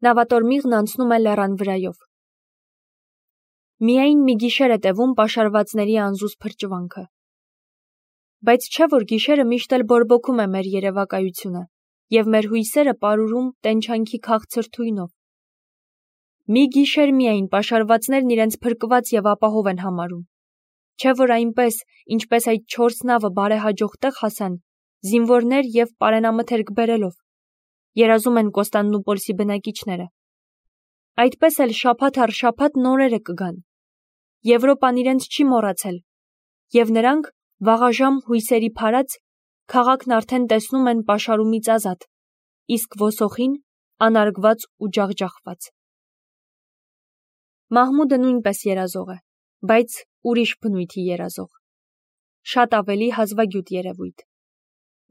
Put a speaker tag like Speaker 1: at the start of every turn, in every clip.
Speaker 1: Նավատորմիղն անցնում է լեռան վրայով։ Միայն մի գիշեր է տևում պաշարվածների անզուզ փրճվանքը։ Բայց չէ, որ գիշերը միշտ էլ բորբոքում է մեր երևակայությունը, և մեր հույսերը պարուրում տենչանքի քաղցր թույնով։ Մի գիշեր միայն պաշարվածներն իրենց փրկված և ապահով են համարում։ Չէ, որ այնպես, ինչպես այդ 4 նավը բարեհաջող տեղ հասան, զինվորներ և պարենամթերք բերելով, երազում են Կոստանդնուպոլսի բնակիչները։ Այդպես էլ շաբաթ առ շաբաթ նորերը կգան։ Եվրոպան իրենց չի մոռացել, և նրանք վաղաժամ հույսերի փարած քաղաքն արդեն տեսնում են պաշարումից ազատ, իսկ ոսոխին անարգված ու ջախջախված։ Մահմուդը նույնպես երազող է, բայց ուրիշ բնույթի երազող, շատ ավելի հազվագյուտ երևույթ։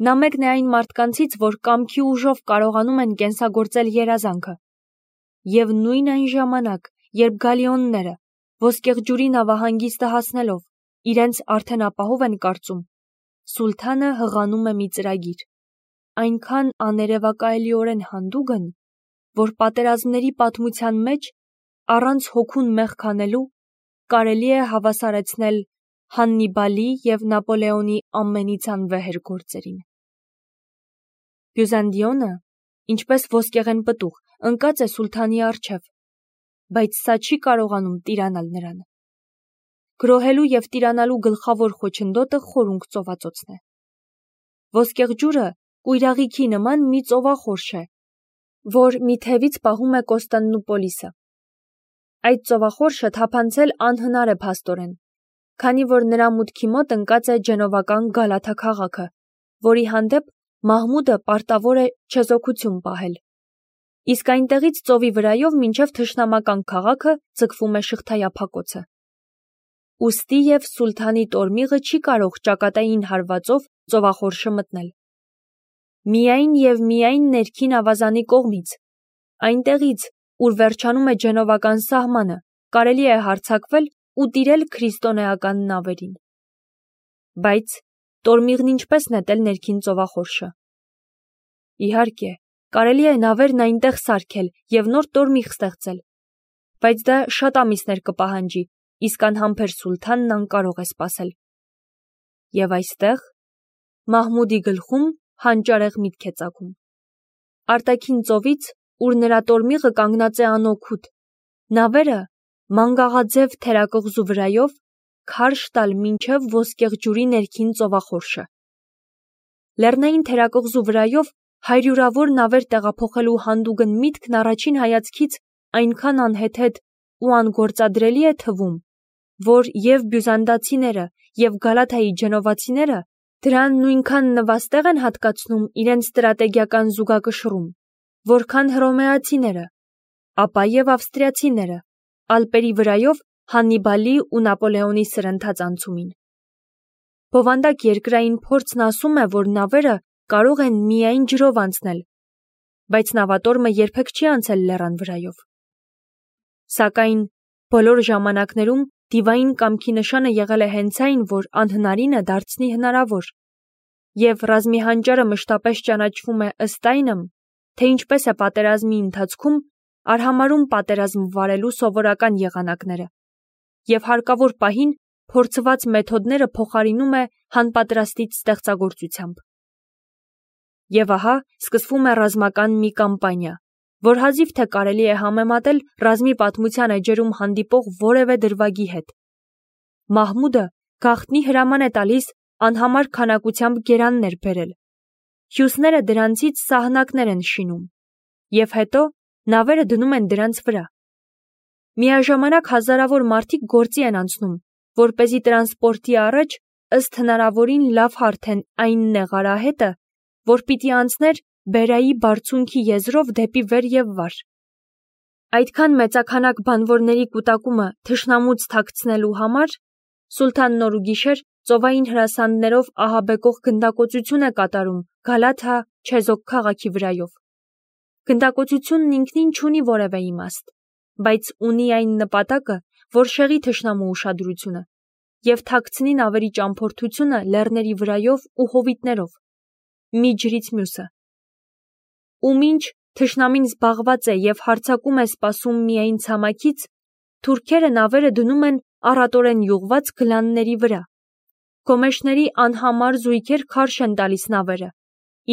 Speaker 1: Նա մեկն է այն մարդկանցից, որ կամքի ուժով կարողանում են կենսագործել երազանքը, և նույն այն ժամանակ, երբ գալիոնները ոսկեղջյուրի նավահանգիստը հասնելով իրենց արդեն ապահով են կարծում, սուլթանը հղանում է մի ծրագիր, այնքան աներևակայելիորեն հանդուգն, որ պատերազմների պատմության մեջ առանց հոգուն մեղք անելու կարելի է հավասարեցնել Հաննիբալի և Նապոլեոնի ամենից անվեհեր գործերին։ Բյուզանդիոնը, ինչպես ոսկեղեն պտուղ, ընկած է սուլթանի առջև, բայց սա չի կարողանում տիրանալ նրան։ Գրոհելու և տիրանալու գլխավոր խոչընդոտը խորունգ ծովածոցն է։ Ոսկեղջյուրը կույրաղիքի նման մի ծովախորշ է, որ մի թևից պահում է Կոստանդնուպոլիսը։ Այդ ծովախորշը թափանցել անհնար է փաստորեն, քանի որ նրա մուտքի մոտ ընկած է ջենովական Գալաթա քաղաքը, որի հանդեպ Մահմուդը պարտավոր է չեզոքություն պահել։ Իսկ այնտեղից ծովի վրայով մինչև թշնամական քաղաքը ձգվում է շղթայափակոցը։ Ուստի և սուլթանի տորմիղը չի կարող ճակատային հարվածով ծովախորշը մտնել։ Միայն և միայն ներքին ավազանի կողմից, այնտեղից, ուր վերջանում է ջենովական սահմանը, կարելի է հարձակվել ու տիրել քրիստոնեական նավերին։ Բայց տորմիղն ինչպես նետել ներքին ծովախորշը։ Իհարկե, կարելի է նավերն այնտեղ սարքել և նոր տորմիղ ստեղծել, բայց դա շատ ամիսներ կպահանջի, իսկ անհամբեր սուլթանն անկարող է սպասել։ Եվ այստեղ Մահմուդի գլխում հանճարեղ միտք է ծագում։ Արտաքին ծովից, ուր նրա տորմիղը կանգնած է անօգուտ, նավերը մանգաղաձև թերակղզու վրայով քարշ տալ մինչև ոսկեղջյուրի ներքին ծովախորշը։ Լեռնային թերակղզու վրայով հարյուրավոր նավեր տեղափոխելու հանդուգն միտքն առաջին հայացքից այնքան անհեթեթ ու անգործադրելի է թվում, որ և բյուզանդացիները, և Գալաթայի ջենովացիները դրան նույնքան նվաստեղ են հատկացնում իրենց ստրատեգիական զուգակշռում, որքան հռոմեացիները, ապա և ավստրիացիները Ալպերի վրայով Հաննիբալի ու Նապոլեոնի սրընթաց անցումին։ Բովանդակ երկրային փորձն ասում է, որ նավերը կարող են միայն ջրով անցնել, բայց նավատորմը երբեք չի անցել լեռան վրայով։ Սակայն բոլոր ժամանակներում դիվային կամքի նշանը եղել է հենց այն, որ անհնարինը դարձնի հնարավոր, և ռազմի հանճարը մշտապես ճանաչվում է ըստ այնմ, թե ինչպես է պատերազմի ընթացքում արհամարհում պատերազմ վարելու սովորական եղանակները, և հարկավոր պահին փորձված մեթոդները փոխարինում է հանպատրաստից ստեղծագործությամբ։ Եվ ահա սկսվում է ռազմական մի կամպանիա, որ հազիվ թե կարելի է համեմատել ռազմի պատմության էջերում հանդիպող որևէ դրվագի հետ։ Մահմուդը գաղտնի հրաման է տալիս անհամար քանակությամբ գերաններ բերել։ Հյուսները դրանցից սահնակներ են շինում, և հետո նավերը դնում են դրանց վրա։ Միաժամանակ հազարավոր մարդիկ գործի են անցնում, որպեսզի տրանսպորտի առաջ ըստ հնարավորին լավ հարթեն այն նեղ արահետը, որ պիտի անցներ Բերայի բարձունքի եզրով դեպի վեր և վար։ Այդքան մեծաքանակ բանվորների կուտակումը թշնամուց թաքցնելու համար սուլթանն օր ու գիշեր ծովային հրասանդներով ահաբեկող գնդակոծություն է կատարում Գալաթա չեզոք քաղաքի վրայով։ Գնդակոծությունն ինքնին չունի որևէ իմաստ, բայց ունի այն նպատակը, որ շեղի թշնամու ուշադրությունը և թաքցնի նավերի ճամփորդությունը լեռների վրայով ու հովիտներով, մի ջրից մյուսը։ Ու մինչ թշնամին զբաղված է և հարձակում է սպասում միայն ցամաքից, թուրքերը նավերը դնում են առատորեն յուղված գլանների վրա։ Գոմեշների անհամար զույգեր քարշ են տալիս նավերը,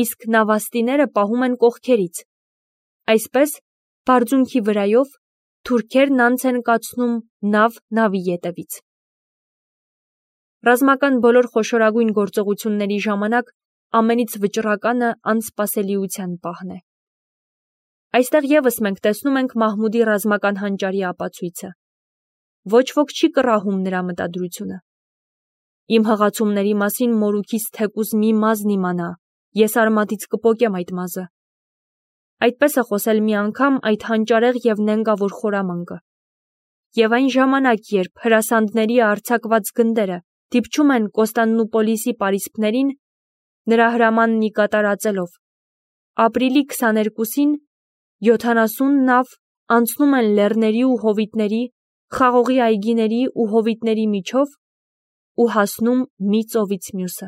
Speaker 1: իսկ նավաստիները պահում են կողքերից։ Այսպես, բարձունքի վրայով թուրքերն անց են կացնում նավ նավի ետևից։ Ռազմական բոլոր խոշորագույն գործողությունների ժամանակ ամենից վճռականը անսպասելիության պահն է։ Այստեղ ևս մենք տեսնում ենք Մահմուդի ռազմական հանճարի ապացույցը։ Ոչ ոք չի կռահում նրա մտադրությունը։ Իմ հղացումների մասին մորուքից թեկուզ մի մազն իմանա, ես արմատից կպոկեմ այդ մազը։ Այդպես է խոսել մի անգամ այդ հանճարեղ և նենգավոր խորամանկը։ Եվ այն ժամանակ, երբ հրասանդների արձակված գնդերը դիպչում են Կոստանդնուպոլիսի պարիսպներին, նրա հրամանն ի կատարածելով, ապրիլի 22-ին 70 նավ անցնում են լեռների ու հովիտների, խաղողի այգիների ու հովիտների միջով ու հասնում մի ծովից մյուսը։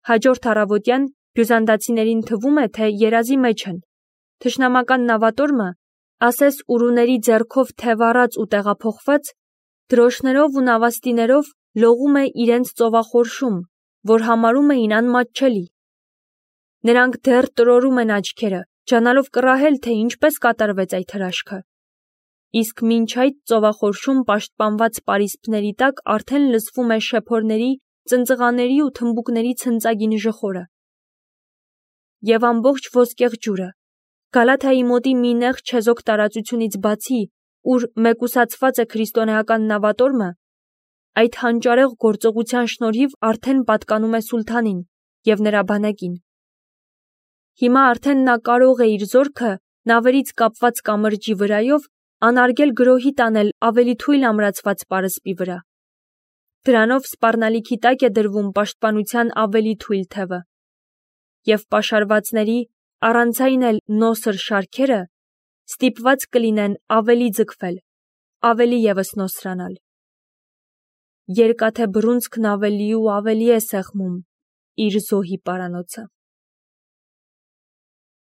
Speaker 1: Հաջորդ առավոտյան բյուզանդացիներին թվում է, թե երազի մեջ են։ Թշնամական նավատորմը, ասես ուրուների ձեռքով թևառած ու տեղափոխված, դրոշներով ու նավաստիներով լողում է իրենց ծովախորշում, որ համարում էին անմատչելի։ Նրանք դեռ տրորում են աչքերը, ջանալով կռահել, թե ինչպես կատարվեց այդ հրաշքը։ Իսկ մինչ այդ ծովախորշում պաշտպանված պարիսպների տակ արդեն լսվում է շեփորների, ծնծղաների ու թմբուկների ցնծագին ժխորը։ Եվ ամբողջ ոսկեղ ջուրը, Գալաթայի մոտի մի նեղ չեզոք տարածությունից բացի, ուր մեկուսացված է քրիստոնեական նավատորմը, այդ հանճարեղ գործողության շնորհիվ արդեն պատկանում է սուլթանին և նրա բանակին։ Հիմա արդեն նա կարող է իր զորքը նավերից կապված կամրջի վրայով անարգել գրոհի տանել ավելի թույլ ամրացված պարսպի վրա։ Դրանով սպառնալիքի տակ է դրվում պաշտպանության ավելի թույլ թևը, և պաշարվածների, առանցայն էլ նոսր շարքերը ստիպված կլինեն ավելի ձգվել, ավելի ևս նոսրանալ։ Երկաթե բռունցքն ավելի ու ավելի է սեղմում իր զոհի պարանոցը։